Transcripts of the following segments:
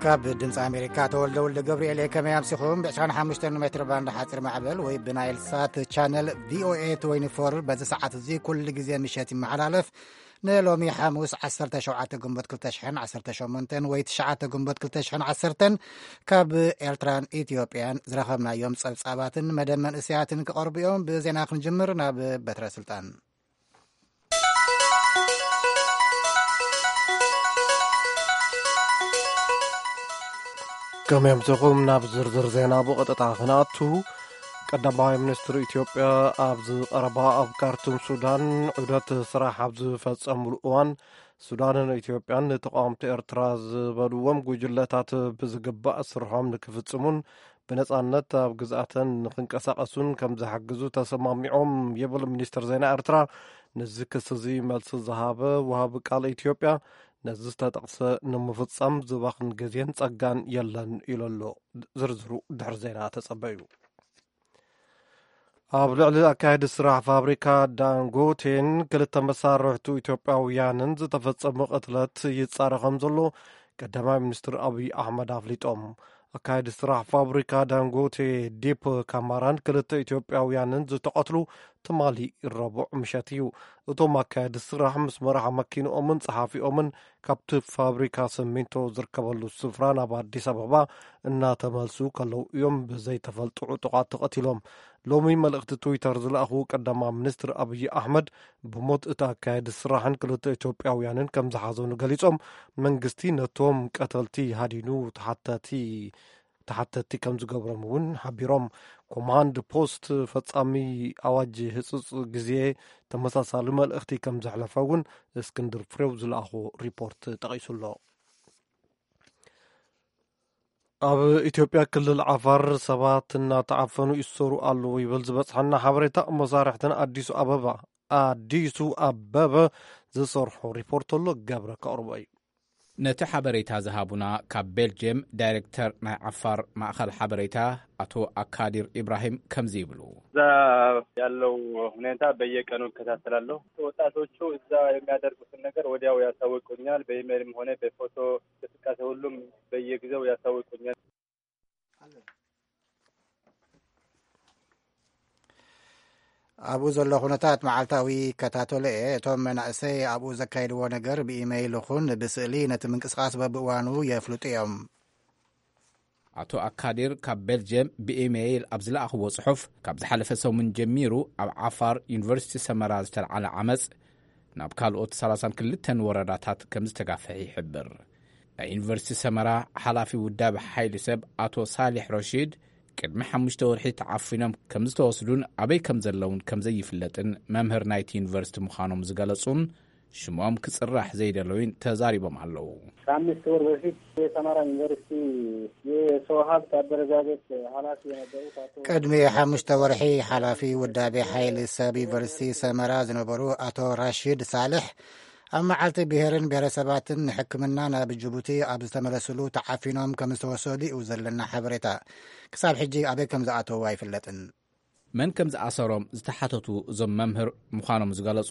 ካብ ድምፂ ኣሜሪካ ተወልደ ወልደ ገብርኤል እየ። ከመይ ኣምሲኹም? ብ ዕስራን ሓሙሽተን ሜትር ባንድ ሓፂር ማዕበል ወይ ብናይል ሳት ቻነል ቪ ኦ ኤ ትዌንቲ ፎር በዚ ሰዓት እዚ ኩሉ ግዜ ምሸት ይመሓላለፍ። ንሎሚ ሓሙስ ዓሰርተ ሸውዓተ ግንቦት ክልተ ሽሕን ዓሰርተ ሸሞንተን ወይ ትሽዓተ ግንቦት ክልተ ሽሕን ዓሰርተን ካብ ኤርትራን ኢትዮጵያን ዝረኸብናዮም ጸብጻባትን መደብ መንእሰያትን ክቐርቡ እዮም። ብዜና ክንጅምር ናብ በትረ ስልጣን። ከመይ ኣምሲኹም? ናብ ዝርዝር ዜና ብቐጥታ ክንኣቱ። ቀዳማይ ሚኒስትር ኢትዮጵያ ኣብዚ ቀረባ ኣብ ካርቱም ሱዳን ዑደት ስራሕ ኣብ ዝፈጸሙሉ እዋን፣ ሱዳንን ኢትዮጵያን ንተቓወምቲ ኤርትራ ዝበልዎም ጉጅለታት ብዝግባእ ስርሖም ንክፍጽሙን ብነጻነት ኣብ ግዝኣተን ንክንቀሳቐሱን ከም ዝሓግዙ ተሰማሚዖም ይብል ሚኒስትር ዜና ኤርትራ። ነዚ ክሲ እዚ መልሲ ዝሃበ ወሃቢ ቃል ኢትዮጵያ፣ ነዚ ዝተጠቕሰ ንምፍጻም ዝባኽን ግዜን ጸጋን የለን ኢሉ ኣሎ። ዝርዝሩ ድሕሪ ዜና ተጸበዩ። ኣብ ልዕሊ ኣካየዲ ስራሕ ፋብሪካ ዳንጎቴን ክልተ መሳርሕቱ ኢትዮጵያውያንን ዝተፈጸመ ቅትለት ይጻረ ከም ዘሎ ቀዳማይ ሚኒስትር ኣብይ ኣሕመድ ኣፍሊጦም። ኣካየዲ ስራሕ ፋብሪካ ዳንጎቴ ዲፕ ካማራን ክልተ ኢትዮጵያውያንን ዝተቐትሉ ትማሊ ረቡዕ ምሸት እዩ። እቶም ኣካየዲ ስራሕ ምስ መራሒ መኪንኦምን ጸሓፊኦምን ካብቲ ፋብሪካ ሲሚንቶ ዝርከበሉ ስፍራ ናብ ኣዲስ ኣበባ እናተመልሱ ከለዉ እዮም ብዘይተፈልጡ ዕጡቓት ተቐቲሎም። ሎሚ መልእኽቲ ትዊተር ዝለኣኹ ቀዳማይ ሚኒስትር ኣብይ ኣሕመድ፣ ብሞት እቲ ኣካየዲ ስራሕን ክልተ ኢትዮጵያውያንን ከም ዝሓዘኑ ገሊጾም፣ መንግስቲ ነቶም ቀተልቲ ሃዲኑ ተሓታቲ ተሓተቲ ከም ዝገብሮም እውን ሓቢሮም። ኮማንድ ፖስት ፈጻሚ ኣዋጅ ህጹጽ ግዜ ተመሳሳሊ መልእኽቲ ከም ዘሕለፈ እውን እስክንድር ፍሬው ዝለኣኾ ሪፖርት ጠቒሱ ኣሎ። ኣብ ኢትዮጵያ ክልል ዓፋር ሰባት እናተዓፈኑ ይሰሩ ኣለዉ ይብል ዝበጽሐና ሓበሬታ። መሳርሕትን ኣዲሱ ኣበባ ኣዲሱ ኣበበ ዝሰርሖ ሪፖርት ኣሎ፣ ገብረ ከቕርቦ እዩ። ነቲ ሓበሬታ ዝሃቡና ካብ ቤልጅየም ዳይሬክተር ናይ ዓፋር ማእኸል ሓበሬታ ኣቶ ኣካዲር ኢብራሂም ከምዚ ይብሉ። እዛ ያለው ሁኔታ በየቀኑ እከታተላለሁ። ወጣቶቹ እዛ የሚያደርጉትን ነገር ወዲያው ያሳውቁኛል። በኢሜይልም ሆነ በፎቶ እንቅስቃሴ ሁሉም በየጊዜው ያሳውቁኛል። ኣብኡ ዘሎ ኩነታት መዓልታዊ ይከታተሎ እየ። እቶም መናእሰይ ኣብኡ ዘካይድዎ ነገር ብኢሜይል ይኹን ብስእሊ ነቲ ምንቅስቓስ በብእዋኑ የፍልጡ እዮም። ኣቶ ኣካዲር ካብ ቤልጅየም ብኢሜይል ኣብ ዝለኣኽዎ ጽሑፍ፣ ካብ ዝሓለፈ ሰሙን ጀሚሩ ኣብ ዓፋር ዩኒቨርሲቲ ሰመራ ዝተልዓለ ዓመጽ ናብ ካልኦት ሰላሳን ክልተን ወረዳታት ከም ዝተጋፍሐ ይሕብር። ናይ ዩኒቨርሲቲ ሰመራ ሓላፊ ውዳበ ሓይሊ ሰብ ኣቶ ሳሊሕ ረሺድ፣ ቅድሚ ሓሙሽተ ወርሒ ተዓፊኖም ከም ዝተወስዱን ኣበይ ከም ዘለውን ከም ዘይፍለጥን መምህር ናይቲ ዩኒቨርሲቲ ምዃኖም ዝገለጹን ሽሞም ክጽራሕ ዘይደለዩን ተዛሪቦም ኣለዉ። ከአምስት ወር በፊት የሰመራ ዩኒቨርሲቲ የሰው ሀብት አደረጃጀት ኃላፊ የነበሩት አቶ ቅድሚ ሓሙሽተ ወርሒ ሓላፊ ውዳቤ ሓይሊ ሰብ ዩኒቨርሲቲ ሰመራ ዝነበሩ ኣቶ ራሺድ ሳልሕ፣ ኣብ መዓልቲ ብሄርን ብሄረሰባትን ንሕክምና ናብ ጅቡቲ ኣብ ዝተመለስሉ ተዓፊኖም ከም ዝተወሰዱ እዩ ዘለና ሓበሬታ። ክሳብ ሕጂ ኣበይ ከም ዝኣተዉ ኣይፍለጥን። መን ከም ዝኣሰሮም ዝተሓተቱ እዞም መምህር ምዃኖም ዝገለጹ፣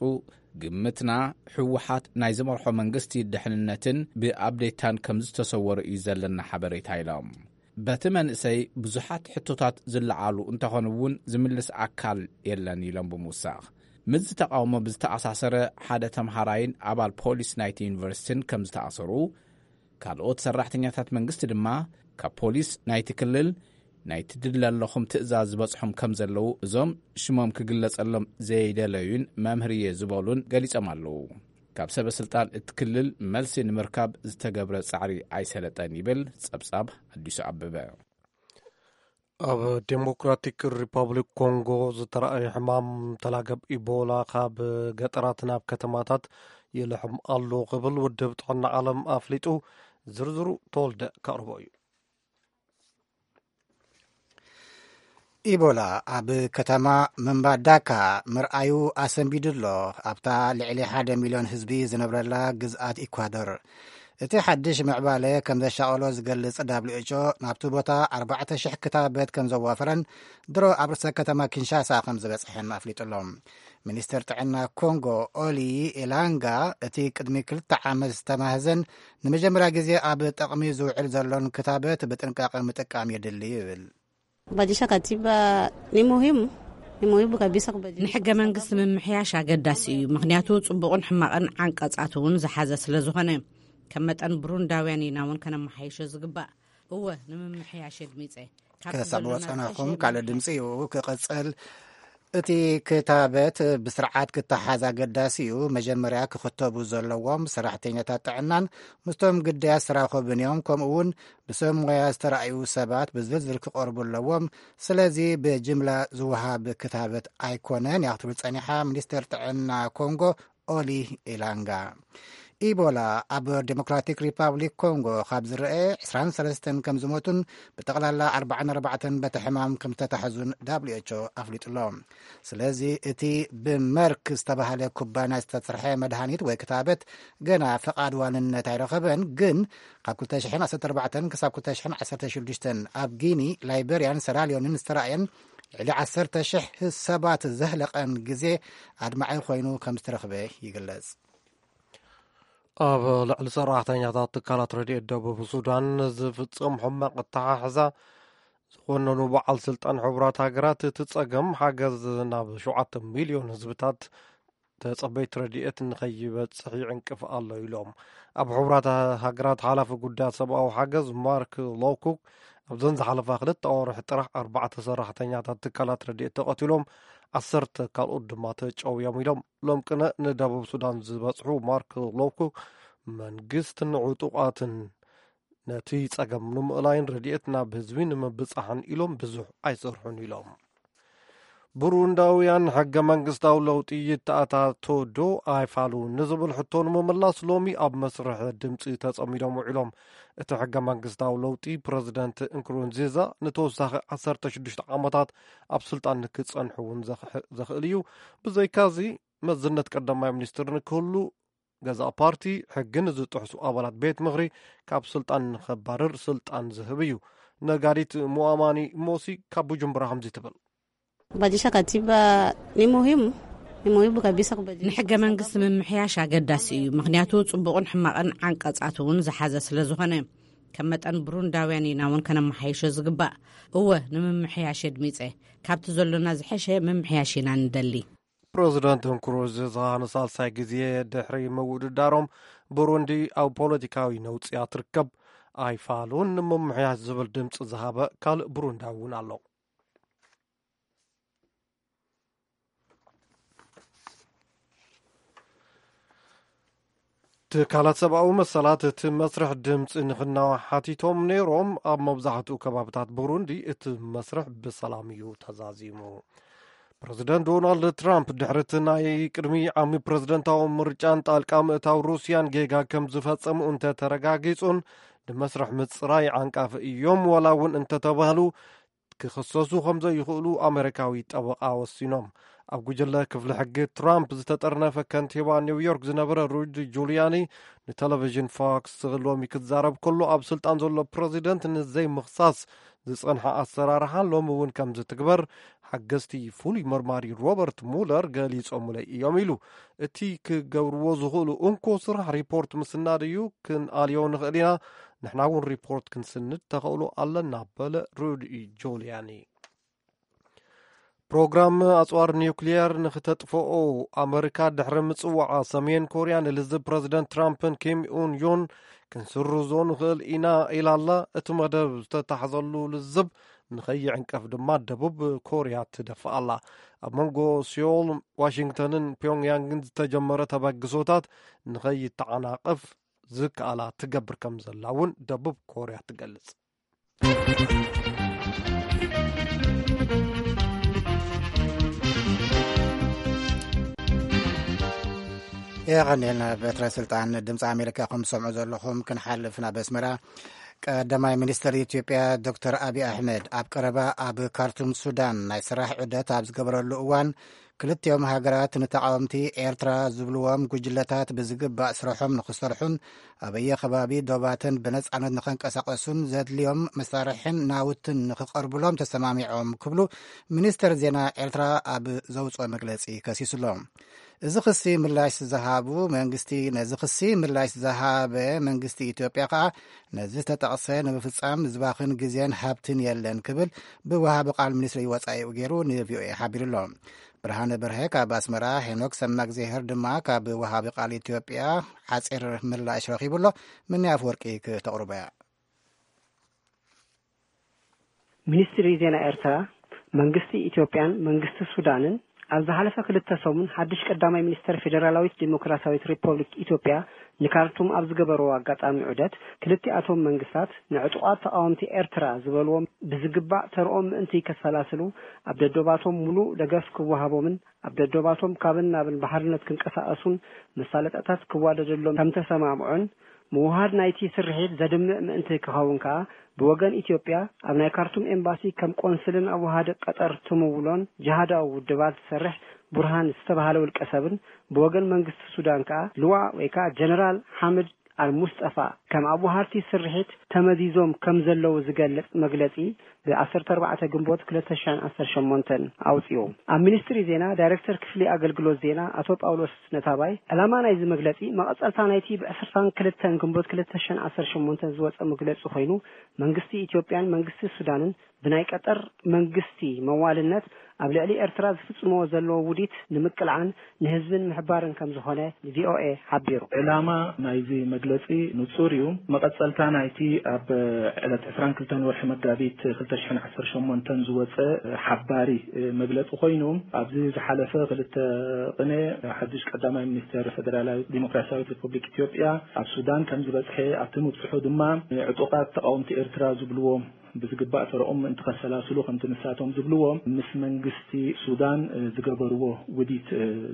ግምትና ህወሓት ናይ ዝመርሖ መንግስቲ ድሕንነትን ብኣፕዴታን ከም ዝተሰወሩ እዩ ዘለና ሓበሬታ ኢሎም። በቲ መንእሰይ ብዙሓት ሕቶታት ዝለዓሉ እንተኾኑ እውን ዝምልስ ኣካል የለን ኢሎም ብምውሳኽ፣ ምስ ተቃውሞ ብዝተኣሳሰረ ሓደ ተምሃራይን ኣባል ፖሊስ ናይቲ ዩኒቨርሲቲን ከም ዝተኣሰሩ፣ ካልኦት ሰራሕተኛታት መንግስቲ ድማ ካብ ፖሊስ ናይቲ ክልል ናይ ትድለ ኣለኹም ትእዛዝ ዝበጽሖም ከም ዘለዉ እዞም ሽሞም ክግለጸሎም ዘይደለዩን መምህር እየ ዝበሉን ገሊጾም ኣለዉ። ካብ ሰበ ስልጣን እቲ ክልል መልሲ ንምርካብ ዝተገብረ ጻዕሪ ኣይሰለጠን ይብል ጸብጻብ ኣዲሱ ኣበበ። ኣብ ዴሞክራቲክ ሪፐብሊክ ኮንጎ ዝተራእየ ሕማም ተላገብ ኢቦላ ካብ ገጠራት ናብ ከተማታት ይልሕም ኣሎ ክብል ውድብ ጥዕና ዓለም ኣፍሊጡ። ዝርዝሩ ተወልደ ከቕርቦ እዩ። ኢቦላ ኣብ ከተማ ምባዳካ ምርኣዩ ኣሰንቢዱ ኣሎ። ኣብታ ልዕሊ ሓደ ሚልዮን ህዝቢ ዝነብረላ ግዝኣት ኢኳዶር፣ እቲ ሓድሽ ምዕባለ ከም ዘሻቐሎ ዝገልጽ ደብሊው ኤች ኦ፣ ናብቲ ቦታ ኣርባዕተ ሽሕ ክታበት ከም ዘዋፈረን ድሮ ኣብ ርእሰ ከተማ ኪንሻሳ ከም ዝበጽሐን ኣፍሊጡ ኣሎ። ሚኒስተር ጥዕና ኮንጎ ኦሊ ኤላንጋ፣ እቲ ቅድሚ ክልተ ዓመት ዝተማህዘን ንመጀመርያ ግዜ ኣብ ጥቕሚ ዝውዕል ዘሎን ክታበት ብጥንቃቐ ምጥቃም የድሊ ይብል። Kubadilisha katiba ni muhimu, ni muhimu kabisa kubadilisha. ንሕገ መንግስቲ ምምሕያሽ ኣገዳሲ እዩ፣ ምክንያቱ ጽቡቕን ሕማቕን ዓንቀጻት እውን ዝሓዘ ስለ ዝኾነ። ከም መጠን ብሩንዳውያን ኢና እውን ከነመሓይሾ ዝግባእ። እወ፣ ንምምሕያሽ የድሚፀ። ካብቲ ከሳብ ዘሎና ወፀናኹም ዝሐሸ ካልእ ድምፂ እዩ ክቕፅል። እቲ ክታበት ብስርዓት ክተሓዝ ኣገዳሲ እዩ። መጀመርያ ክኽተቡ ዘለዎም ሰራሕተኛታት ጥዕናን ምስቶም ግዳያት ዝተራኸቡን እዮም። ከምኡ እውን ብሰብ ሞያ ዝተረኣዩ ሰባት ብዝርዝር ክቐርቡ ኣለዎም። ስለዚ ብጅምላ ዝወሃብ ክታበት ኣይኮነን እያ ክትብል ጸኒሓ ሚኒስተር ጥዕና ኮንጎ ኦሊ ኢላንጋ። ኢቦላ ኣብ ዴሞክራቲክ ሪፓብሊክ ኮንጎ ካብ ዝረአ ዕስራን ሰለስተን ከም ዝሞቱን ብጠቕላላ ኣርባዓን ኣርባዕተን በቲ ሕማም ከም ዝተታሕዙን ደብሊው ኤች ኦ ኣፍሊጡ ኣሎ። ስለዚ እቲ ብመርክ ዝተባህለ ኩባንያ ዝተሰርሐ መድሃኒት ወይ ክታበት ገና ፈቓድ ዋንነት ኣይረኸበን። ግን ካብ ክልተ ሽሕን ዓሰርተ ኣርባዕተን ክሳብ ክልተ ሽሕን ዓሰርተ ሽዱሽተን ኣብ ጊኒ፣ ላይበርያን ሰራልዮንን ዝተራእየን ልዕሊ ዓሰርተ ሽሕ ሰባት ዘህለቐን ግዜ ኣድማዒ ኮይኑ ከም ዝተረኽበ ይግለጽ። ኣብ ልዕሊ ሰራሕተኛታት ትካላት ረድኤት ደቡብ ሱዳን ዝፍጸም ሕማቕ ኣተሓሕዛ ዝኾነኑ በዓል ስልጣን ሕቡራት ሃገራት፣ እቲ ጸገም ሓገዝ ናብ ሸውዓተ ሚልዮን ህዝብታት ተጸበይቲ ረድኤት ንኸይበጽሕ ይዕንቅፍ ኣሎ ኢሎም። ኣብ ሕቡራት ሃገራት ሓላፊ ጉዳያት ሰብኣዊ ሓገዝ ማርክ ሎኩክ ኣብዘን ዝሓለፋ ክልተ ኣዋርሕ ጥራሕ ኣርባዕተ ሰራሕተኛታት ትካላት ረድኤት ተቐቲሎም፣ ዓሰርተ ካልኦት ድማ ተጨውዮም ኢሎም። ሎም ቅነ ንደቡብ ሱዳን ዝበጽሑ ማርክ ሎኩክ መንግስትን ዕጡቓትን ነቲ ጸገም ንምእላይን ረድኤት ናብ ህዝቢ ንምብጻሕን ኢሎም ብዙሕ ኣይሰርሑን ኢሎም። ብሩንዳውያን ሕገ መንግስታዊ ለውጢ ይተኣታቶ ዶ ኣይፋሉን ንዝብል ሕቶ ንምምላስ ሎሚ ኣብ መስርሕ ድምፂ ተጸሚዶም ውዒሎም። እቲ ሕገ መንግስታዊ ለውጢ ፕረዚደንት እንክሩንዚዛ ንተወሳኺ ዓሰርተ ሽዱሽተ ዓመታት ኣብ ስልጣን ንክጸንሑ እውን ዘኽሕ- ዘኽእል እዩ። ብዘይካዚ መዝነት ቀዳማይ ሚኒስትር ንክህሉ ገዛእ ፓርቲ ሕጊ ንዝጥሕሱ ኣባላት ቤት ምኽሪ ካብ ስልጣን ንኸባርር ስልጣን ዝህብ እዩ። ነጋዲት ሙኣማኒ ሞሲ ካብ ቡጁምቡራ ከምዚ ትብል። Kubadilisha katiba ni muhimu, ni muhimu kabisa kubadilisha. ንሕገ መንግስቲ ምምሕያሽ ኣገዳሲ እዩ፣ ምክንያቱ ጽቡቕን ሕማቕን ዓንቀጻት እውን ዝሓዘ ስለ ዝኾነ። ከም መጠን ብሩንዳውያን ኢና እውን ከነመሓይሾ ዝግባእ። እወ፣ ንምምሕያሽ የድሚፀ። ካብቲ ዘሎና ዝሐሸ ምምሕያሽ ኢና ንደሊ። ፕረዚደንት ንኩሩንዚዛ ንሳልሳይ ግዜ ድሕሪ ምውድዳሮም፣ ብሩንዲ ኣብ ፖለቲካዊ ነውፅያ ትርከብ። ኣይፋሉን ንምምሕያሽ ዝብል ድምፂ ዝሃበ ካልእ ብሩንዳዊ እውን ኣሎ። ትካላት ሰብኣዊ መሰላት እቲ መስርሕ ድምፂ ንክናዋ ሓቲቶም ነይሮም። ኣብ መብዛሕትኡ ከባብታት ብሩንዲ እቲ መስርሕ ብሰላም እዩ ተዛዚሙ። ፕረዚደንት ዶናልድ ትራምፕ ድሕሪ እቲ ናይ ቅድሚ ዓሚ ፕረዚደንታዊ ምርጫን ጣልቃ ምእታው ሩስያን ጌጋ ከም ዝፈጸሙ እንተተረጋጊጹን ንመስርሕ ምጽራይ ዓንቃፊ እዮም ዋላ እውን እንተተባህሉ ክኽሰሱ ከም ዘይኽእሉ ኣመሪካዊ ጠበቓ ወሲኖም። ኣብ ጉጅለ ክፍሊ ሕጊ ትራምፕ ዝተጠርነፈ ከንቲባ ኒውዮርክ ዝነበረ ሩዲ ጁልያኒ ንቴሌቪዥን ፎክስ ሎሚ ክዛረብ ከሎ ኣብ ስልጣን ዘሎ ፕረዚደንት ንዘይምኽሳስ ዝጸንሐ ኣሰራርሓ ሎሚ እውን ከም ዝትግበር ሓገዝቲ ፍሉይ መርማሪ ሮበርት ሙለር ገሊጾምለይ እዮም ኢሉ። እቲ ክገብርዎ ዝኽእሉ እንኮ ስራሕ ሪፖርት ምስናድ እዩ፣ ክንኣልዮ ንኽእል ኢና። ንሕና እውን ሪፖርት ክንስንድ ተኽእሎ ኣለና በለ ሩዲ ጁልያኒ። ፕሮግራም ኣፅዋር ኒውክሊየር ንክተጥፍኦ ኣመሪካ ድሕሪ ምፅዋዓ ሰሜን ኮርያ ንልዝብ ፕረዚደንት ትራምፕን ኪም ኡን ዮን ክንስርዞ ንኽእል ኢና ኢላ ኣላ። እቲ መደብ ዝተታሕዘሉ ልዝብ ንኸይዕንቀፍ ድማ ደቡብ ኮርያ ትደፍእ ኣላ። ኣብ መንጎ ሲዮል ዋሽንግተንን ፒዮንግያንግን ዝተጀመረ ተበግሶታት ንኸይተዓናቐፍ ዝከኣላ ትገብር ከም ዘላ እውን ደቡብ ኮርያ ትገልጽ። የቐኒልና። በትረ ስልጣን ድምፂ ኣሜሪካ ከም ትሰምዑ ዘለኹም ክንሓልፍ ናብ ኣስመራ። ቀዳማይ ሚኒስትር ኢትዮጵያ ዶክተር ኣብይ ኣሕመድ ኣብ ቀረባ ኣብ ካርቱም ሱዳን ናይ ስራሕ ዑደት ኣብ ዝገበረሉ እዋን ክልቲኦም ሃገራት ንተቓወምቲ ኤርትራ ዝብልዎም ጉጅለታት ብዝግባእ ስርሖም ንኽሰርሑን ኣበየ ከባቢ ዶባትን ብነጻነት ንኸንቀሳቐሱን ዘድልዮም መሳርሕን ናውትን ንኽቐርብሎም ተሰማሚዖም ክብሉ ሚኒስተር ዜና ኤርትራ ኣብ ዘውፅኦ መግለጺ ከሲሱሎም። እዚ ክሲ ምላሽ ዝሃቡ መንግስቲ ነዚ ክሲ ምላሽ ዝሃበ መንግስቲ ኢትዮጵያ ከኣ ነዚ ዝተጠቕሰ ንምፍጻም ዝባኽን ግዜን ሃብትን የለን ክብል ብወሃቢ ቃል ሚኒስትሪ ወጻኢ ገይሩ ንቪኦኤ ሓቢሩ ኣሎ። ብርሃነ በርሀ ካብ ኣስመራ፣ ሄኖክ ሰማግዜሄር ድማ ካብ ወሃቢ ቃል ኢትዮጵያ ሓጺር ምላሽ ረኺቡ ኣሎ። ምኒ ኣፍወርቂ ክተቕርቦ እያ። ሚኒስትሪ ዜና ኤርትራ፣ መንግስቲ ኢትዮጵያን መንግስቲ ሱዳንን ኣብ ዝሓለፈ ክልተ ሰሙን ሓድሽ ቀዳማይ ሚኒስተር ፌደራላዊት ዲሞክራሲያዊት ሪፐብሊክ ኢትዮጵያ ንካርቱም ኣብ ዝገበርዎ ኣጋጣሚ ዑደት፣ ክልቲኣቶም መንግስታት ንዕጡቓት ተቓወምቲ ኤርትራ ዝበልዎም ብዝግባእ ተርኦም ምእንቲ ከሰላስሉ ኣብ ደዶባቶም ሙሉእ ደገፍ ክወሃቦምን ኣብ ደዶባቶም ካብን ናብን ብሓርነት ክንቀሳቐሱን መሳለጥያታት ክዋደደሎም ከምተሰማምዑን ምውሃድ ናይቲ ስርሒት ዘድምዕ ምእንቲ ክኸውን ከኣ ብወገን ኢትዮጵያ ኣብ ናይ ካርቱም ኤምባሲ ከም ቆንስልን ኣወሃዲ ቀጠር ትምውሎን ጅሃዳዊ ውድባት ዝሰርሕ ቡርሃን ዝተባህለ ውልቀ ሰብን ብወገን መንግስቲ ሱዳን ከኣ ልዋእ ወይ ከኣ ጀነራል ሓምድ ኣልሙስጠፋ ከም ኣወሃድቲ ስርሒት ተመዚዞም ከም ዘለዉ ዝገልጽ መግለጺ ብ ዓሰርተ ኣርባዕተ ግንቦት ክልተ ሽሕን ዓሰርተ ሸሞንተን ኣውጺኡ። ኣብ ሚኒስትሪ ዜና ዳይሬክተር ክፍሊ ኣገልግሎት ዜና ኣቶ ጳውሎስ ነታባይ፣ ዕላማ ናይዚ መግለጺ መቐጸልታ ናይቲ ብ ዕስራን ክልተን ግንቦት ክልተ ሽሕን ዓሰርተ ሸሞንተን ዝወጸ መግለጺ ኮይኑ፣ መንግስቲ ኢትዮጵያን መንግስቲ ሱዳንን ብናይ ቀጠር መንግስቲ መዋልነት ኣብ ልዕሊ ኤርትራ ዝፍጽምዎ ዘለዉ ውዲት ንምቅልዓን ንህዝብን ምሕባርን ከም ዝኾነ ንቪኦኤ ሓቢሩ። ዕላማ ናይዚ መግለጺ ንጹር እዩ። መቐጸልታ ናይቲ ኣብ ዕለት ዕስራን ክልተን ወርሒ መጋቢት ክልተ ሽሕን ዓሰርተ ሸሞንተን ዝወጸ ሓባሪ መግለጺ ኮይኑ፣ ኣብዚ ዝሓለፈ ክልተ ቅነ ሓድሽ ቀዳማይ ሚኒስተር ፌደራላዊት ዲሞክራሲያዊት ሪፐብሊክ ኢትዮጵያ ኣብ ሱዳን ከም ዝበጽሐ፣ ኣብቲ ምብጽሑ ድማ ዕጡቓት ተቓወምቲ ኤርትራ ዝብልዎም ብዝግባእ ተረኦም ምእንቲ ከሰላስሉ፣ ከምቲ ንሳቶም ዝብልዎ፣ ምስ መንግስቲ ሱዳን ዝገበርዎ ውዲት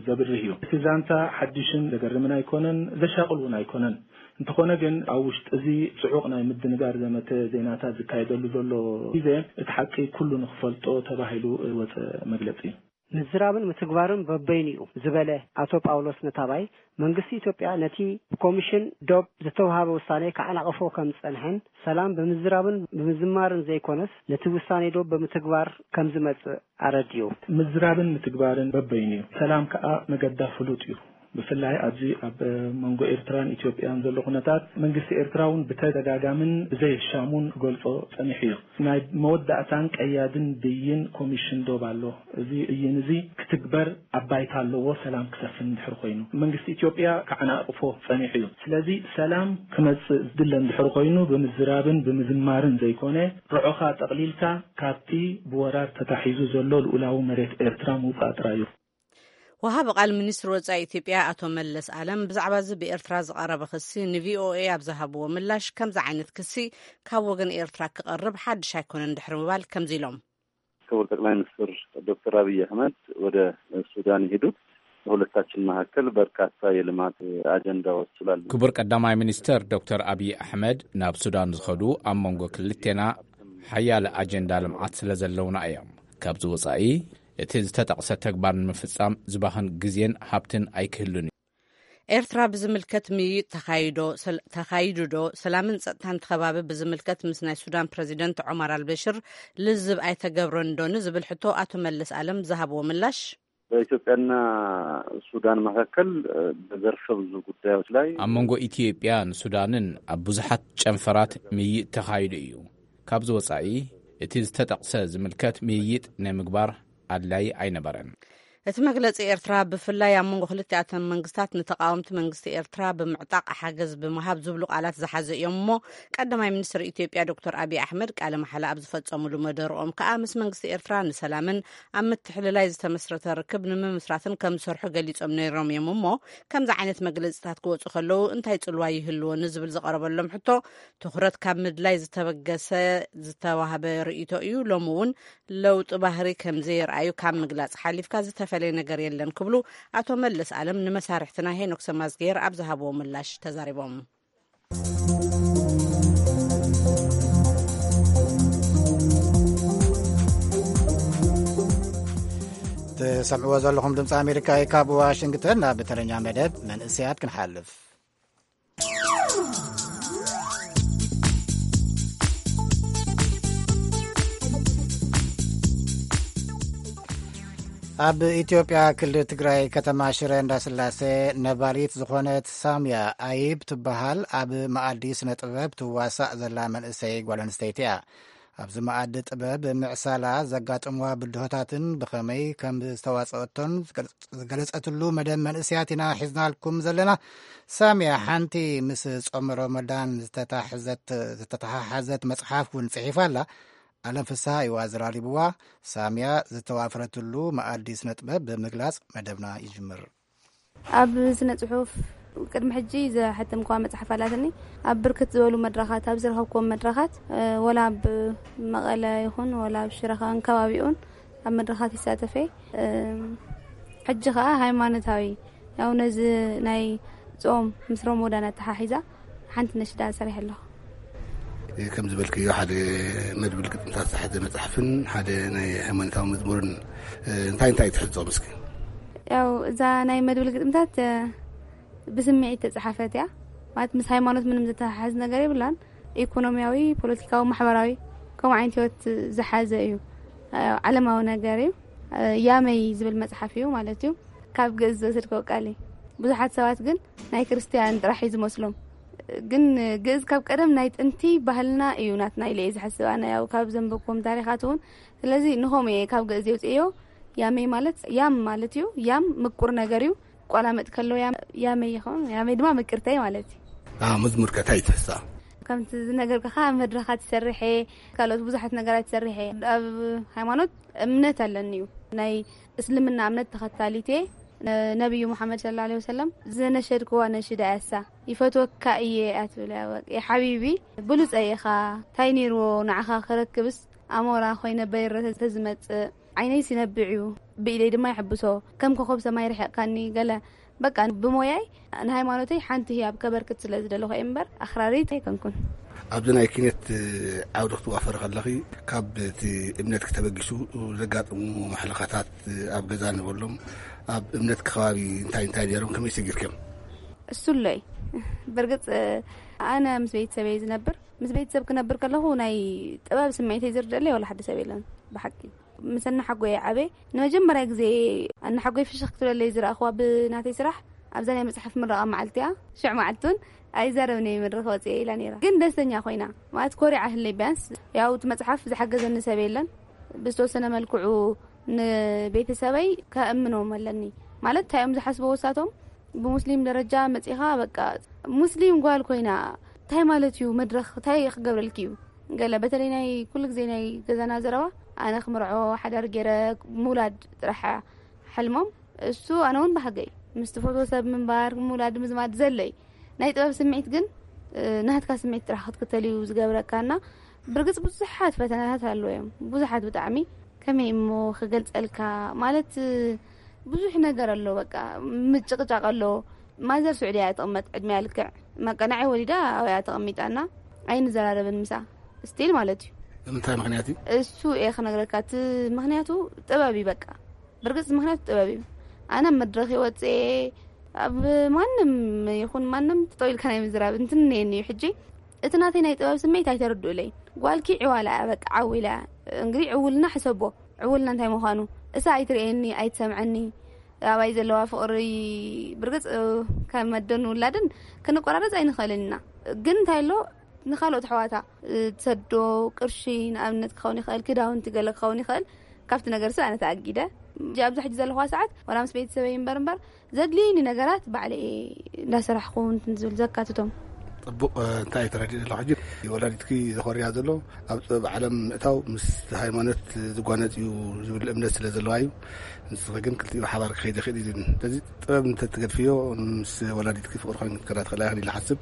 ዘብርህ እዩ። እቲ ዛንታ ሓድሽን ዘገርምን ኣይኮነን፣ ዘሻቕል እውን ኣይኮነን። እንተኾነ ግን ኣብ ውሽጢ እዚ ጽዑቕ ናይ ምድንጋር ዘመተ ዜናታት ዝካየደሉ ዘሎ ግዜ፣ እቲ ሓቂ ኩሉ ንኽፈልጦ ተባሂሉ ዝወጸ መግለጺ እዩ። ምዝራብን ምትግባርን በበይኑ እዩ ዝበለ ኣቶ ጳውሎስ ነታባይ፣ መንግስቲ ኢትዮጵያ ነቲ ብኮሚሽን ዶብ ዝተውሃበ ውሳኔ ከዓናቕፎ ከም ዝጸንሐን፣ ሰላም ብምዝራብን ብምዝማርን ዘይኮነስ፣ ነቲ ውሳኔ ዶብ ብምትግባር ከም ዝመጽእ ኣረዲኡ። ምዝራብን ምትግባርን በበይኑ እዩ። ሰላም ከኣ መገዳ ፍሉጥ እዩ። ብፍላይ ኣብዚ ኣብ መንጎ ኤርትራን ኢትዮጵያን ዘሎ ኩነታት፣ መንግስቲ ኤርትራ እውን ብተደጋጋምን ብዘየሻሙን ክገልጾ ጸኒሑ እዩ። ናይ መወዳእታን ቀያድን ብይን ኮሚሽን ዶብ ኣሎ። እዚ ብይን እዚ ክትግበር ኣብ ባይታ ኣለዎ፣ ሰላም ክሰፍን እንድሕር ኮይኑ። መንግስቲ ኢትዮጵያ ክዓናቕፎ ጸኒሑ እዩ። ስለዚ ሰላም ክመጽእ ዝድለ እንድሕር ኮይኑ፣ ብምዝራብን ብምዝማርን ዘይኮነ፣ ርዑኻ ጠቕሊልካ ካብቲ ብወራር ተታሒዙ ዘሎ ልኡላዊ መሬት ኤርትራ ምውጻእ ጥራይ እዩ። ወሃቢ ቃል ሚኒስትሪ ወጻኢ ኢትዮጵያ ኣቶ መለስ ኣለም ብዛዕባ እዚ ብኤርትራ ዝቐረበ ክሲ ንቪኦኤ ኣብ ዝሃብዎ ምላሽ፣ ከምዚ ዓይነት ክሲ ካብ ወገን ኤርትራ ክቐርብ ሓድሽ ኣይኮነን ድሕሪ ምባል ከምዚ ኢሎም። ክቡር ጠቅላይ ሚኒስትር ዶክተር አብይ አህመድ ወደ ሱዳን የሄዱት በሁለታችን መካከል በርካታ የልማት አጀንዳዎች ስላሉ። ክቡር ቀዳማይ ሚኒስትር ዶክተር አብይ አሕመድ ናብ ሱዳን ዝኸዱ ኣብ መንጎ ክልቴና ሓያለ ኣጀንዳ ልምዓት ስለ ዘለውና እዮም። ካብዚ ወጻኢ እቲ ዝተጠቕሰ ተግባር ንምፍጻም ዝባኽን ግዜን ሃብትን ኣይክህሉን እዩ። ኤርትራ ብዝምልከት ምይይጥ ተኻይዶ፣ ሰል-፣ ተኻይዱ ዶ? ሰላምን ጸጥታን እቲ ከባቢ ብዝምልከት ምስ ናይ ሱዳን ፕረዚደንት ዑማር ኣልበሽር ልዝብ ኣይተገብረን ዶ ንዝብል ሕቶ ኣቶ መለስ ኣለም ዝሃብዎ ምላሽ፣ በኢትዮጵያና ሱዳን መካከል በዘርፈ ብዙ ጉዳዮች ላይ ኣብ መንጎ ኢትዮጵያን ሱዳንን ኣብ ብዙሓት ጨንፈራት ምይይጥ ተኻይዱ እዩ። ካብዚ ወጻኢ እቲ ዝተጠቕሰ ዝምልከት ምይይጥ ናይ ምግባር ኣድላይ ኣይነበረን። እቲ መግለጺ ኤርትራ ብፍላይ ኣብ መንጎ ክልቲኣተን መንግስታት ንተቓወምቲ መንግስቲ ኤርትራ ብምዕጣቕ ሓገዝ ብምሃብ ዝብሉ ቃላት ዝሓዘ እዮም እሞ፣ ቀዳማይ ሚኒስትር ኢትዮጵያ ዶክተር ኣቢይ ኣሕመድ ቃለ መሓላ ኣብ ዝፈጸሙሉ መደርኦም ከኣ ምስ መንግስቲ ኤርትራ ንሰላምን ኣብ ምትሕልላይ ዝተመስረተ ርክብ ንምምስራትን ከም ዝሰርሑ ገሊጾም ነይሮም እዮም እሞ፣ ከምዚ ዓይነት መግለጺታት ክወጹ ከለዉ እንታይ ጽልዋ ይህልዎ ንዝብል ዝቐረበሎም ሕቶ፣ ትኹረት ካብ ምድላይ ዝተበገሰ ዝተዋህበ ርእይቶ እዩ። ሎሚ እውን ለውጢ ባህሪ ከም ዘየርኣዩ ካብ ምግላጽ ሓሊፍካ ዝተፈለየ ነገር የለን ክብሉ ኣቶ መለስ ኣለም ንመሳርሕትና ሄኖክ ሰማዝጌር ኣብ ዝሃብዎ ምላሽ ተዛሪቦም። ትሰምዕዎ ዘለኹም ድምፂ ኣሜሪካ እዩ። ካብ ዋሽንግተን ናብ ተረኛ መደብ መንእሰያት ክንሓልፍ። ኣብ ኢትዮጵያ ክልል ትግራይ ከተማ ሽረ እንዳስላሴ ነባሪት ዝኾነት ሳምያ ኣይብ ትበሃል ኣብ መኣዲ ስነ ጥበብ ትዋሳእ ዘላ መንእሰይ ጓል ኣንስተይቲ እያ። ኣብዚ መኣዲ ጥበብ ምዕሳላ ዘጋጥምዋ ብድሆታትን ብኸመይ ከም ዝተዋጸኦቶን ዝገለጸትሉ መደብ መንእሰያት ኢና ሒዝናልኩም ዘለና። ሳምያ፣ ሓንቲ ምስ ጾም ረመዳን ዝተታሕዘት-፣ ዝተተሓሓዘት መጽሓፍ እውን ጽሒፋ ኣላ። ኣለም ፍስሃ እዩ ኣዘራሪብዋ። ሳምያ ዝተዋፈረትሉ መኣዲ ስነ ጥበብ ብምግላጽ መደብና ይጅምር። ኣብ ስነ ጽሑፍ ቅድሚ ሕጂ ዘሐተምኳ መጽሓፍ ኣላትኒ። ኣብ ብርክት ዝበሉ መድረኻት፣ ኣብ ዝረኸብክዎም መድረኻት፣ እ፣ ወላ ኣብ መቐለ ይኹን ወላ ኣብ ሽረ ከባቢኡን ኣብ መድረኻት ይሳተፈ። እ፣ ሕጂ ኸኣ ሃይማኖታዊ፣ ያው ነዚ ናይ ጾም ምስ ረመዳን ኣተሓሒዛ ሓንቲ ነሽዳ ሰሪሐ ኣለኹ። ከም ዝበልክዮ ሓደ መድብል ግጥምታት ዝሓዘ መጽሓፍን ሓደ ናይ ሃይማኖታዊ መዝሙርን፣ እ፣ እንታይ እንታይ ትሕዞም እስኪ? ያው እዛ ናይ መድብል ግጥምታት፣ እ፣ ብስምዒት ተጻሓፈት እያ። ማለት ምስ ሃይማኖት ምንም ዝተሓሓዝ ነገር የብላን። ኢኮኖሚያዊ፣ ፖለቲካዊ፣ ማሕበራዊ ከምኡ ዓይነት ህይወት ዝሓዘ እዩ። እ፣ ዓለማዊ ነገር እዩ። እ፣ ያመይ ዝብል መጽሓፍ እዩ ማለት እዩ። ካብ ግእዝ ዝወሰድከው ቃል እዩ። ብዙሓት ሰባት ግን ናይ ክርስትያን ጥራሕ እዩ ዝመስሎም። ግን ግእዝ ካብ ቀደም ናይ ጥንቲ ባህልና እዩ ናትና ኢለ እየ ዝሓስብ ኣነ፣ ያው ካብ ዘንበብኩም ታሪኻት እውን። ስለዚ ንኸምኡ እየ ካብ ግእዝ የውፅእዮ። ያመይ ማለት ያም ማለት እዩ። ያም ምቁር ነገር እዩ። ቆላመጥ ከሎ ያም-፣ ያመይ ይኸውን። ያመይ ድማ ምቅርተይ ማለት እዩ። ኣ፣ መዝሙር ከ እንታይ ትሕሳ? ከምቲ ዝነገርካ ኣብ መድረኻት ይሰርሐ፣ ካልኦት ብዙሓት ነገራት ይሰርሐ። ኣብ ሃይማኖት እምነት ኣለኒ እዩ። ናይ እስልምና እምነት ተኸታሊት እየ። ነ-፣ ነቢዩ ሙሓመድ ሰለላሁ ዐለይሂ ወሰለም ዝነሸድክዋ ነሽዳ እያ እሳ። "ይፈትወካ እየ" እያ ትብል እያ። በቃ፣ "ያ ሓቢቢ፣ ብሉጸ ኢኻ፣ እንታይ ነይርዎ ንዓኻ ክረክብስ፣ ኣሞራ ኮይነ በይረ ተዝመጽእ፣ ዓይነይስ ይነብዕ እዩ፣ ብኢደይ ድማ ይሕብሶ፣ ከም ኮኾብ ሰማይ ርሒቕካኒ" ገለ። በቃ፣ ብሞያይ ንሃይማኖተይ ሓንቲ ህያብ ከበርክት ስለ ዝደለኹ እየ እምበር፣ ኣኽራሪት ኣይኮንኩን። ኣብዚ ናይ ኪነት ዓውዲ ክትዋፈሪ ከለኺ፣ ካብ እቲ እምነት ክተበጊሱ ዘጋጥሙ ማሕለኻታት ኣብ ገዛ ንበሎም፣ ኣብ እምነት ከባቢ እንታይ እንታይ ነይሮም፣ ከመይ ሰጊርክዮም? እሱ ኣሎ እዩ። በርግጽ፣ ኣነ ምስ ቤተሰበይ ዝነብር፣ ምስ ቤተሰብ ክነብር ከለኹ ናይ ጥበብ ስምዒተይ ዝርደለይ ወላ ሓደ ሰብ የለን ብሓቂ። ምስ ኣናሓጎየ ዓበ፣ ንመጀመርያ ግዜ ኣናሓጎይ ፍሽኽ ክትብለለይ ዝረኣኽዋ ብናተይ ስራሕ ኣብዛ ናይ መጽሓፍ ምረቓ መዓልቲ እያ። ሽዕ መዓልቲ እውን ኣይዛረብን እየ መድረኽ ወጽየ ኢላ ነይራ። ግን ደስተኛ ኮይና፣ ማለት ኮሪዓ ህለይ ቢያንስ፣ ያው እቲ መጽሓፍ ዝሓገዘኒ ሰብ የለን። ብዝተወሰነ መልክዑ ንቤተሰበይ ከእምኖም ኣለኒ። ማለት እንታይ እዮም ዝሓስብዎ ንሳቶም? ብሙስሊም ደረጃ መጺኻ በቃ ሙስሊም ጓል ኮይና እንታይ ማለት እዩ መድረኽ እንታይ ክገብረልኪ እዩ? ገለ በተለይ ናይ ኩሉ ግዜ ናይ ገዛና ዘረባ ኣነ ክምርዖ ሓዳር ገይረ ምውላድ ጥራሕ ሕልሞም። እሱ ኣነ እውን ባህገይ ምስ ትፈትዎ ሰብ ምንባር ምውላድ ምዝማድ ዘለይ ናይ ጥበብ ስምዒት ግን፣ እ፣ ናትካ ስምዒት ጥራሕ ክትክተል እዩ ዝገብረካና። ብርግጽ ብዙሓት ፈተናታት ኣለዎ እዮም፣ ብዙሓት ብጣዕሚ። ከመይ እሞ ክገልጸልካ? ማለት፣ ብዙሕ ነገር ኣሎ፣ በቃ፣ ምጭቕጫቕ ኣሎ። ማዘር ስዑድያ እያ ትቕመጥ፣ ዕድመያ ልክዕ። በቃ፣ ንዓይ ወሊዳ ኣብያ ተቐሚጣና፣ ኣይንዘራረብን ምሳ። ስቲል ማለት እዩ። ንምንታይ ምኽንያት እዩ? እሱ እየ ክነግረካ። እቲ ምኽንያቱ ጥበብ እዩ፣ በቃ። ብርግጽ ምኽንያቱ ጥበብ እዩ። ኣነ ኣብ መድረኽ ይወጽእ እየ፣ ኣብ ማንም ይኹን ማንም ጠጠው ኢልካ ናይ ምዝራብ እንትን እኒኤኒ እዩ። ሕጂ እቲ ናተይ ናይ ጥበብ ስምዒት ኣይተረድኡለይ። ጓልኪ ዕዋላ እያ፣ በቃ ዓዊላ እያ። እንግዲህ ዕውልና ሕሰቦ፣ ዕውልና እንታይ ምዃኑ። እሳ ኣይትርእየኒ፣ ኣይትሰምዐኒ። ኣባይ ዘለዋ ፍቕሪ ብርግጽ፣ እ፣ ከም ኣደን ውላድን ክንቆራረጽ ኣይንኽእልን ኢና። ግን እንታይ ኣሎ፣ ንኻልኦት ኣሕዋታ፣ እ፣ ትሰዶ ቅርሺ ንኣብነት ክኸውን ይኽእል፣ ክዳውንቲ ገለ ክኸውን ይኽእል። ካብቲ ነገር ሲ ኣነ ተኣጊደ። ሕጂ ኣብዚ ሕጂ ዘለኹዋ ሰዓት ዋላ ምስ ቤተሰበይ እምበር እምበር ዘድልየኒ ነገራት ባዕለ እየ እንዳሰራሕኹ እንትን ዝብል ዘካትቶም። ጽቡቕ፣ እ፣ እንታይ እዩ ተረዲእ ዘለኹ ሕጂ? ወላዲትኪ ዘኾርያ ዘሎ ኣብ ጥበብ ዓለም ምእታው ምስ ሃይማኖት ዝጓነጽ እዩ ዝብል እምነት ስለ ዘለዋ እዩ። ንስኺ ግን ክልቲኡ ብሓባር ክኸይድ ይኽእል እዩ ዝብል። ስለዚ ጥበብ እንተትገድፍዮ ምስ ወላዲትኪ ፍቕሪ ኮይንኪ ክትከዳ ትኽእላ ኢኺ ኢለ እሓስብ።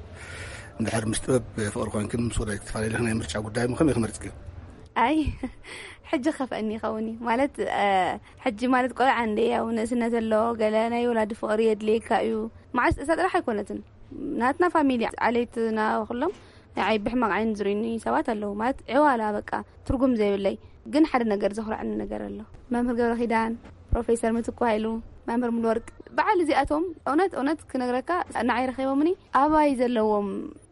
እንድሕር ምስ ጥበብ ፍቕሪ ኮይንኪ ምስ ወላዲትኪ ትፈላለዩ ኢኺ፣ ናይ ምርጫ ጉዳይ እሞ ከመይ ክመርጽክዮ? ኣይ፣ ሕጂ ከፍአኒ ይኸውን እዩ። ማለት፣ እ፣ ሕጂ ማለት ቆልዓ እንደ ያው ንእስነት ኣሎ፣ ገለ ናይ ወላዲ ፍቕሪ የድልየካ እዩ። መዓስ እሳ ጥራሕ ኣይኮነትን። ናትና ፋሚሊ፣ ዓሌትና ኩሎም ንዓይ ብሕማቕ ዓይኒ ዝርእዩኒ ሰባት ኣለዉ። ማለት ዕዋላ በቃ ትርጉም ዘይብለይ። ግን ሓደ ነገር ዘኹርዓኒ ነገር ኣሎ። መምህር ገብረ ኪዳን ፕሮፌሰር ምትኩ ሃይሉ፣ መምህር ሙሉወርቅ፣ በዓል እዚኣቶም እውነት እውነት ክነግረካ ንዓይ ረኺቦምኒ ኣባይ ዘለዎም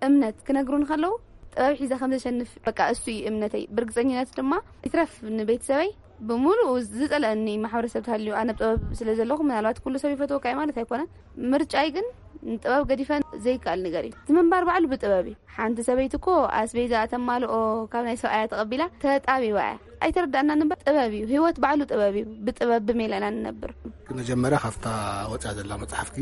እምነት ክነግሩኒ ከለዉ ጥበብ ሒዘ ከም ዘሸንፍ በቃ እሱ እዩ እምነተይ። ብርግፀኝነት ድማ ይትረፍ ንቤተሰበይ ብምሉኡ ዝፀለአኒ ማሕበረሰብ ተሃልዩ ኣነ ጥበብ ስለ ዘለኹ ምናልባት ኩሉ ሰብ ይፈትወካ እዩ ማለት ኣይኮነን። ምርጫይ ግን ንጥበብ ገዲፈን ዘይከኣል ነገር እዩ። እቲ ምንባር ባዕሉ ብጥበብ እዩ። ሓንቲ ሰበይቲ እኮ ኣስቤዛ ተማልኦ ካብ ናይ ሰብኣያ ተቐቢላ ተጣቢባ እያ። ኣይተረዳእናን እምበር ጥበብ እዩ። ህይወት ባዕሉ ጥበብ እዩ። ብጥበብ ብሜላ ኢና ንነብር። መጀመርያ ካብታ ወፅያ ዘላ መፅሓፍኪ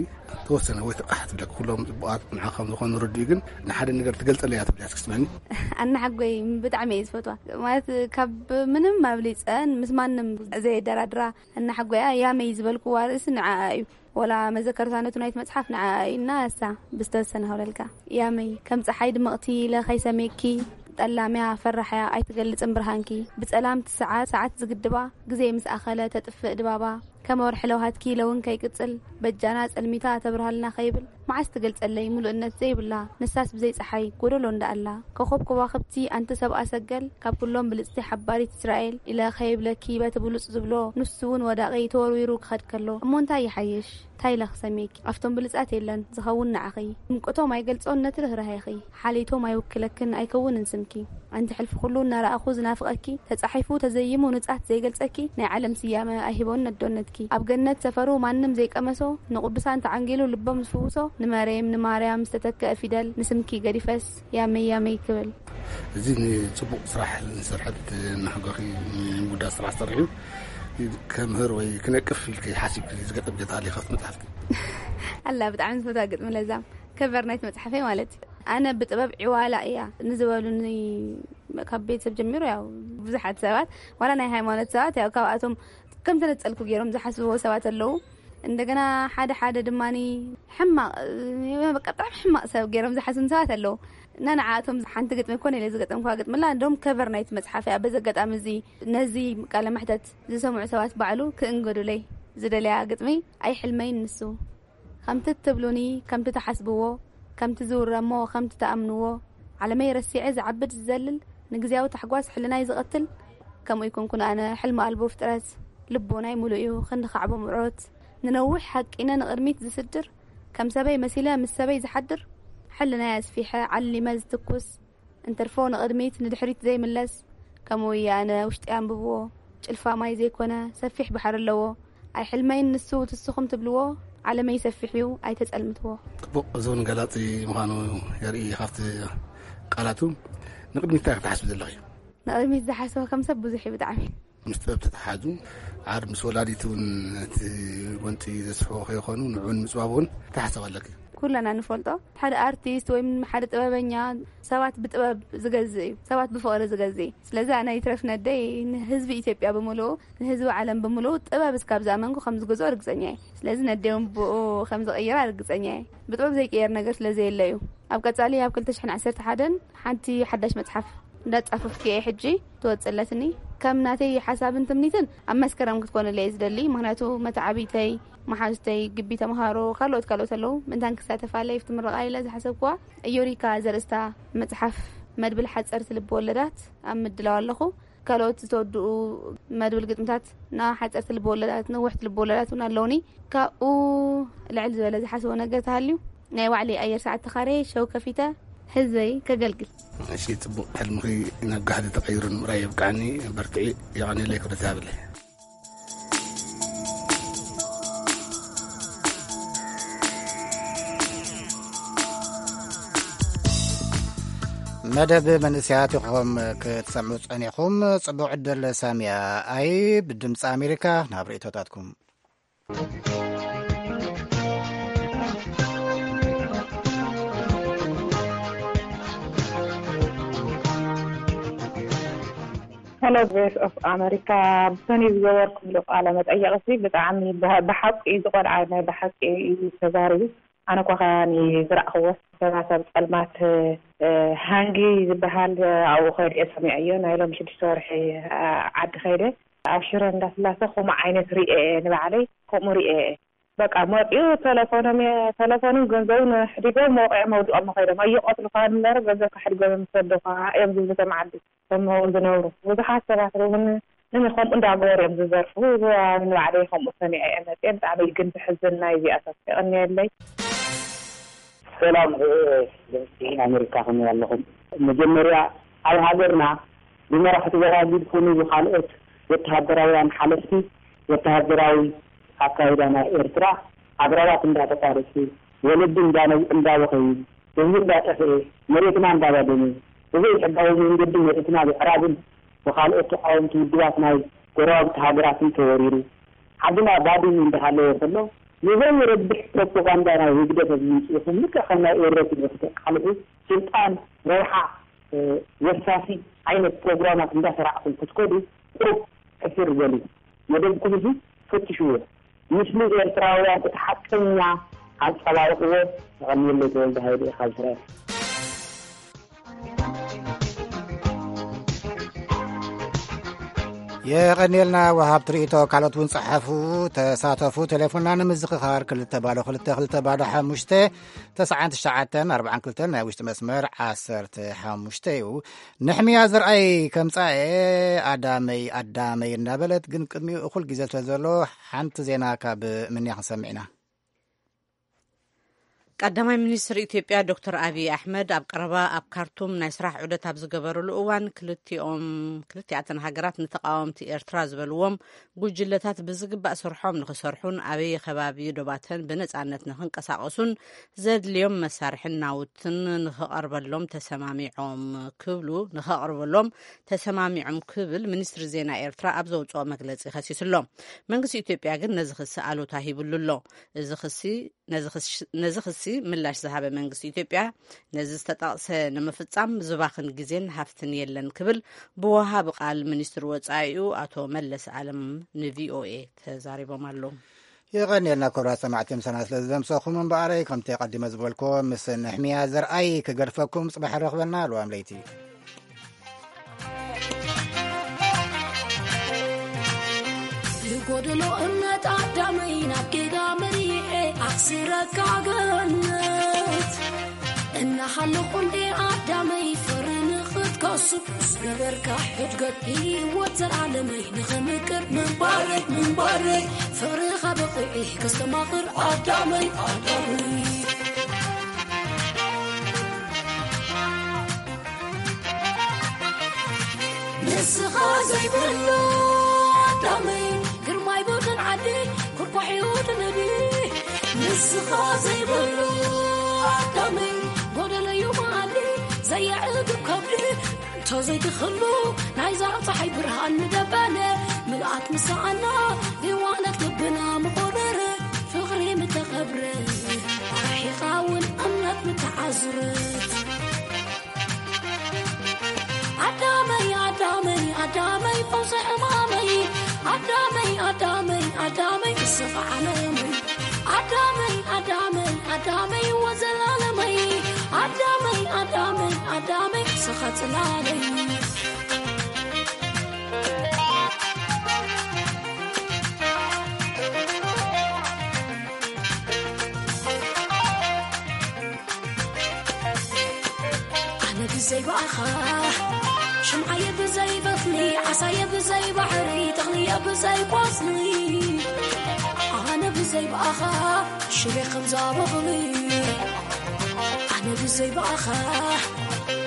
ተወሰነ ወይ ተቃሓት ብለክ ኩሎም ፅቡቃት ንዓ ከም ዝኾኑ ርድኡ ግን ንሓደ ነገር ትገልፀለይ እያ ትብልያ እስኪ ስመኒ። ኣናሓጎይ ብጣዕሚ እየ ዝፈትዋ። ማለት ካብ ምንም ኣብሊፀን ምስ ማንም ዘየደራድራ ኣናሓጎያ ያመይ ዝበልክዋ ርእሲ ንዓኣ እዩ። ወላ መዘከርታ ነቱ ናይቲ መጽሓፍ ንዓኣ እዩ እና እሳ ብዝተወሰነ ክብለልካ። ያመይ ከም ጸሓይ ድምቕቲ ኢለ ከይሰሜኪ፣ ጠላምያ ፈራሕያ ኣይትገልጽን ብርሃንኪ። ብጸላም ትስዓር ሰዓት ዝግድባ፣ ግዜ ምስ ኣኸለ ተጥፍእ ድባባ። ከም ወርሒ ለውሃትኪ ኢለ እውን ከይቅጽል፣ በጃና ጸልሚታ ተብርሃልና ከይብል፣ መዓስ ትገልጸለይ ምሉእነት ዘይብላ፣ ንሳስ ብዘይ ጸሓይ ጎደሎ እንዳ ኣላ። ኮኾብ ከዋኽብቲ ኣንቲ ሰብኣ ሰገል፣ ካብ ኩሎም ብልጽቲ ሓባሪት እስራኤል፣ ኢለ ከይብለኪ በቲ ብሉጽ ዝብሎ፣ ንሱ እውን ወዳቒ ተወርዊሩ ክኸድ ከሎ፣ እሞ እንታይ ይሓይሽ? ታይ ኢለ ክሰምየኪ? ኣብቶም ብሉጻት የለን ዝኸውን ንዓኺ። ድምቀቶም ኣይገልጾን ነቲ ርህራሄኺ። ሓልይቶም ኣይውክለክን ኣይከውንን ስምኪ። ኣንቲ ሕልፊ ኩሉ እናረኣኹ ዝናፍቐኪ፣ ተጻሒፉ ተዘይሙ ንጻት ዘይገልጸኪ፣ ናይ ዓለም ስያመ ኣይሂቦን ነዶነትኪ። ኣብ ገነት ሰፈሩ ማንም ዘይቀመሶ፣ ንቕዱሳን ተዓንጊሉ ልቦም ዝፍውሶ፣ ንመሬም ንማርያም ዝተተክአ ፊደል፣ ንስምኪ ገዲፈስ ያመይ ያመይ ክብል። እዚ ንጽቡቕ ስራሕ ዝሰርሐት እናሕጎኺ ንውዳት ስራሕ ዝሰርሕ እዩ። ከምህር ወይ ክነቅፍ ኢልኪ ሓሲብኪ ዝገጠም ገጣ ኣለካ ኣብቲ መጽሓፍኪ? ኣላ ብጣዕሚ ዝፈትዋ ግጥሚ ለዛም ከቨር ናይቲ መጽሓፈይ ማለት እዩ። ኣነ ብጥበብ ዕዋላ እያ ንዝበሉኒ ካብ ቤተሰብ ጀሚሩ ያው ብዙሓት ሰባት ዋላ ናይ ሃይማኖት ሰባት ያው ካብኣቶም ከም ተነጸልኩ ገይሮም ዝሓስብዎ ሰባት ኣለዉ። እንደገና ሓደ ሓደ ድማኒ ሕማቕ በቃ ብጣዕሚ ሕማቕ ሰብ ገይሮም ዝሓስቡን ሰባት ኣለዉ። እና ንዓኣቶም ሓንቲ ግጥሚ ኮነ ኢለ ዝገጠምኳ ግጥምላ እንደውም ከቨር ናይቲ መጽሓፍ እያ። በዚ ኣጋጣሚ እዚ ነዚ ቃለ መሕተት ዝሰምዑ ሰባት ባዕሉ ክእንገዱለይ ዝደለያ ግጥሚ ኣይሕልመይን ንሱ። ከምቲ እትብሉኒ፣ ከምቲ ትሓስብዎ፣ ከምቲ ዝውረ እሞ ከምቲ ትኣምንዎ፣ ዓለመይ ረሲዐ ዝዓብድ ዝዘልል፣ ንግዝያዊ ታሕጓስ ሕልናይ ዝቐትል፣ ከምኡ ይኩንኩን ኣነ ሕልሚ ኣልቦ ፍጥረት፣ ልቦናይ ምሉእ እዩ ክንዲ ካዕቦ ምዑት፣ ንነዊሕ ሓቂነ ንቕድሚት ዝስድር፣ ከም ሰበይ መሲለ ምስ ሰበይ ዝሓድር፣ ሕልናይ ኣስፊሐ ዓሊመ ዝትኩስ፣ እንትርፎ ንቕድሚት ንድሕሪት ዘይምለስ፣ ከምኡ እየ ኣነ ውሽጢ ኣንብብዎ። ጭልፋ ማይ ዘይኮነ ሰፊሕ ባሕሪ ኣለዎ። ኣይሕልመይን ንሱ ትስኹም ትብልዎ፣ ዓለመይ ሰፊሕ እዩ ኣይተጸልምትዎ። ጽቡቕ፣ እዚ እውን ገላጺ ምዃኑ የርኢ ካብቲ ቃላቱ። ንቕድሚት እንታይ ክትሓስቢ ዘለኺ? ንቕድሚት ዝሓስቦ ከም ሰብ ብዙሕ እዩ ብጣዕሚ። ምስ ጥበብ ተተሓዙ ዓር ምስ ወላዲት እውን እቲ ጎንፂ ዘስሕቦ ከይኾኑ ንዕኡን ምፅባብ እውን ተሓሰብ ኣለኪ። ኩለና ንፈልጦ ሓደ ኣርቲስት ወይ ሓደ ጥበበኛ ሰባት ብጥበብ ዝገዝእ እዩ፣ ሰባት ብፍቕሪ ዝገዝእ እዩ። ስለዚ ኣነ ይትረፍ ነደይ ንህዝቢ ኢትዮጵያ ብምልኡ ንህዝቢ ዓለም ብምልኡ ጥበብ እስካብ ዝኣመንኩ ከም ዝገዝኦ ርግፀኛ እየ። ስለዚ ነደይ እውን ብኡ ከም ዝቕይራ ርግፀኛ እየ። ብጥበብ ዘይቅየር ነገር ስለ ዘየለ እዩ። ኣብ ቀጻሊ ኣብ ክልተ ሽሕን ዓሰርተ ሓደን ሓንቲ ሓዳሽ መጽሓፍ እንዳጻፈፍኩ እየ ሕጂ ትወጽእ ኣለትኒ። ከም ናተይ ሓሳብን ትምኒትን ኣብ መስከረም ክትኮንለይ እየ ዝደሊ። ምኽንያቱ መተዓቢተይ፣ መሓዙተይ፣ ግቢ ተምሃሮ፣ ካልኦት ካልኦት ኣለዉ። ምእንታን ክሳተፋለይ ኣብቲ ምርቓ ኢለ ዝሓሰብክዋ እዮሪካ ዘርእስታ መጽሓፍ መድብል ሓጸርቲ ልቢ ወለዳት ኣብ ምድላው ኣለኹ። ካልኦት ዝተወድኡ መድብል ግጥምታት፣ ንሓጸርቲ ልቢ ወለዳት፣ ነዋሕቲ ልቢ ወለዳት እውን ኣለዉኒ። ካብኡ ልዕል ዝበለ ዝሓስቦ ነገር ተሃልዩ ናይ ባዕለይ ኣየር ሰዓት ተኻርየ ሸው ከፊተ ህዝበይ ከገልግል። እሺ፣ ጽቡቕ ሕልምኺ ናብ ጋህዲ ተቐይሩ ንምርኣይ የብቅዓኒ። በርትዒ፣ የቐንየለይ፣ ክብረት ይሃበለይ። መደብ መንእሰያት ኢኹም ክትሰምዑ ጸኒኹም። ጽቡቕ ዕድል ሳሚያ ኣይ ብድምጺ ኣሜሪካ ናብ ርእይቶታትኩም። ሄሎ፣ ቮይስ ኦፍ ኣመሪካ፣ ብሰኒ ዝገበርኩምሉ ቃለ መጠየቕሲ ብጣዕሚ ብሃ-፣ ብሓቂ እዩ፣ ዝቖልዓ ናይ ብሓቂ እዩ ተዛሪቡ። ኣነ እኳ ከኣ ንዝረኣኽዎ ሰባሰብ ጸልማት፣ እ፣ ሃንጊ ዝበሃል ኣብኡ ከይደ ሰሚዐዮ። ናይ ሎሚ ሽዱሽተ ወርሒ፣ እ፣ ዓዲ ከይደ ኣብ ሽረ እንዳስላሰ ከምኡ ዓይነት ርእየ እየ ንባዕለይ፣ ከምኡ ርእየ እየ። በቃ መጺኡ ተለፎኖም እየ፣ ተለፎንን ገንዘቡን ኣሕዲጎም መውቕዒ መውድቖም ከይዶም። ኣይቐትሉኻን እምበር ገንዘብካ ኣሕዲጎም እዮም ዝሰዱኻ እዮም ዝብሉ እቶም ዓዲ። ከምኡ ዝነብሩ ብዙሓት ሰባት እውን እኔ ከምኡ እንዳገበሩ እዮም ዝዘርፉ። ንባዕለይ ከምኡ ሰሚዐ እየ መፅየ። ብጣዕሚ ግን ብሕዝን ናይ እዚኣታት የቐንየለይ። ሰላም፣ ድምፂ ኣሜሪካ፣ ከመይ ኣለኹም? መጀመርያ፣ ኣብ ሃገርና ብመራሕቲ ወራጊድ ኮኑ ብካልኦት ወተሃደራውያን ሓለፍቲ ወተሃደራዊ ኣካይዳ ናይ ኤርትራ ኣግራባት እንዳተቋረፁ፣ ወለዲ እንዳነ-፣ እንዳበኸዩ፣ ህዝቢ እንዳጠፍአ፣ መሬትና እንዳባደመ፣ ብዘይ ሕጋዊ መንገዲ መሬትና ብዕራብን ብካልኦት ተቃወምቲ ውድባት ናይ ጎረባብቲ ሃገራትን ተወሪሩ፣ ዓድና ባድሚ እንዳሃለወ ከሎ፣ ንዘይረብሕ ፕሮፓጋንዳ ናይ ህግደፍ ኣብ ምንጭኹም፣ ልክዕ ከም ናይ ኤረትሪ ክተቃልሑ፣ ስልጣን፣ ረብሓ፣ እ፣ ወሳሲ ዓይነት ፕሮግራማት እንዳሰራዕኹም ክትከዱ፣ ቁሩብ ሕፍር በሉ። መደብኩም እዚ ፈትሽዎ። ምስሊ ኤርትራውያን እቲ ሓቀኛ ኣንጸባርቕዎ። የቐንየለይ። ተወልደ ሃይለ ካብ እስራኤል። የቐንየልና ወሃብቲ ርእይቶ። ካልኦት እውን ጸሓፉ፣ ተሳተፉ። ቴሌፎንና ንምዝኽኻር ክልተ ባዶ ክልተ ክልተ ባዶ ሓሙሽተ፣ ተስዓን ትሽዓተን ኣርባዓን ክልተን ናይ ውሽጢ መስመር ዓሰርተ ሓሙሽተ እዩ። ንሕምያ ዘርኣይ ከምጻኤ ኣዳመይ ኣዳመይ እናበለት፣ ግን ቅድሚኡ እኹል ግዜ ስለ ዘሎ ሓንቲ ዜና ካብ ምንያ ክንሰምዕ ኢና። ቀዳማይ ሚኒስትር ኢትዮጵያ ዶክተር ኣብይ ኣሕመድ ኣብ ቀረባ ኣብ ካርቱም ናይ ስራሕ ዑደት ኣብ ዝገበርሉ እዋን፣ ክልቲኦም፣ ክልቲኣተን ሃገራት ንተቃወምቲ ኤርትራ ዝበልዎም ጉጅለታት ብዝግባእ ስርሖም ንኽሰርሑን ኣበየ ከባቢ ዶባተን ብነጻነት ንኽንቀሳቐሱን ዘድልዮም መሳርሕን ናውትን ንኽቐርበሎም ተሰማሚዖም ክብሉ፣ ንኸቕርበሎም ተሰማሚዖም ክብል ሚኒስትሪ ዜና ኤርትራ ኣብ ዘውጽኦ መግለጺ ከሲሱ ኣሎ። መንግስቲ ኢትዮጵያ ግን ነዚ ክሲ ኣሉታ ሂብሉ ኣሎ። እዚ ክሲ፣ ነዚ ክሲ፣ ነዚ ክሲ ምላሽ ዝሃበ መንግስቲ ኢትዮጵያ፣ ነዚ ዝተጠቕሰ ንምፍጻም ዝባኽን ግዜን ሃፍትን የለን ክብል ብወሃቢ ቃል ሚኒስትሪ ወጻኢኡ ኣቶ መለስ ኣለም ንቪኦኤ ተዛሪቦም ኣለዉ። የቐንየልና ክቡራት ሰማዕቲ፣ ምሳና ስለ ዝዘምሰኹም። እምበኣረይ፣ ከምቲ ቀዲመ ዝበልኮ፣ ምስ ንሕምያ ዘርኣይ ክገድፈኩም፣ ጽባሕ ረኽበና። ልዋም ለይቲ። ብጎደሎ እምነት ኣዳመይ ናብ ጌጋ መሪሐ ኣኽሲረካ ገነት። እናሃለኹ እንዴ ኣዳመይ ፍረ ንኽትከሱ ዝገበርካ ሕድገት ህይወት ዘላለመይ ንኽምቅር ምንባረይ ምንባረይ ፍርኻ በቒዒ ከስተማቕር ኣዳመይ ኣዳመይ። ንስኻ ዘይብሉ ኣዳመይ ግርማይ ብርክን ዓዲ ኩርኳሕ እዩ ድነቢ። ንስኻ ዘይብሉ ኣዳመይ ጎደሎ እዩ መኣዲ ዘየዕግብ ከብዲ። እንተዘይትኽሉ ናይዛ ፀሓይ ብርሃን ምደበነ ምልኣት ምሳኣና ይዋነት ልብና ምቆረረ ፍቕሪ ምተኸብረ ኣርሒቓ እውን እምነት ምተዓዝረት። ኣዳመይ ኣዳመይ ኣዳመይ ፈውሲ ሕማመይ ኣዳመይ ኣዳመይ ኣዳመይ ንስኻ ዓለመይ ኣዳመይ ኣዳመይ ኣዳመይ ወዘላለመይ ኣዳመይ ኣዳመይ ኣዳመይ ንስኻ ጽላለይ። ኣነ ብዘይ ብኣኻ ሽምዓየ ብዘይ ፈትሊ ዓሳየ ብዘይ ባሕሪ ተኽልየ ብዘይ ቆጽሊ ኣነ ብዘይ ብኣኻ ሽሬ ከምዛ በቕሊ ኣነ ብዘይ ብኣኻ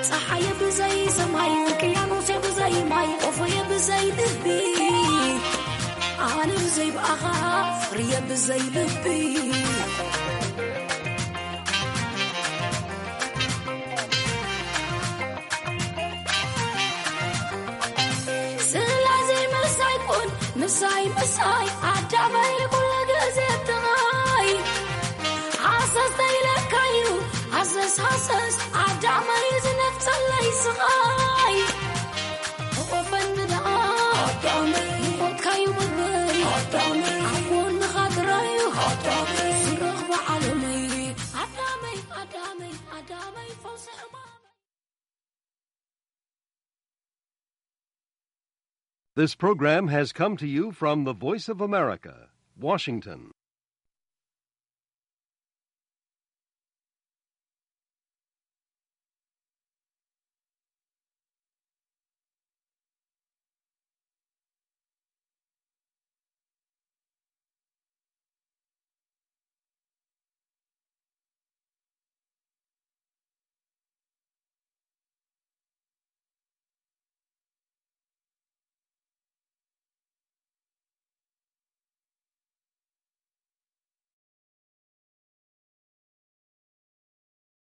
ፀሓየ ብዘይ ሰማይ ውቅያኖስየ ብዘይ ማይ ቆፎየ ብዘይ ልቢ ኣነ ብዘይ ብኣኻ ፍርየ ብዘይ ልቢ ስለዚ ምሳይ ኩን ምሳይ ምሳይ ኣዳመይ ኩሉ ግዜ ትኻይ ሃሰስ ተይለካዩ ሃሰስ ሃሰስ ኣዳመይ ዝነፍፀለይ ስኻይ ተቆፈኒ ደኣ ኣዳመይ ንሞትካዩ መግበይ ኣዳመይ ኣብ ጎንኻ ጥራዩ ኣዳመይ ዝረኽቦ ዓለመይ ኣዳመይ ኣዳመይ ኣዳመይ ፈውሲ ሕማመይ። This program has come to you from the Voice of America, Washington.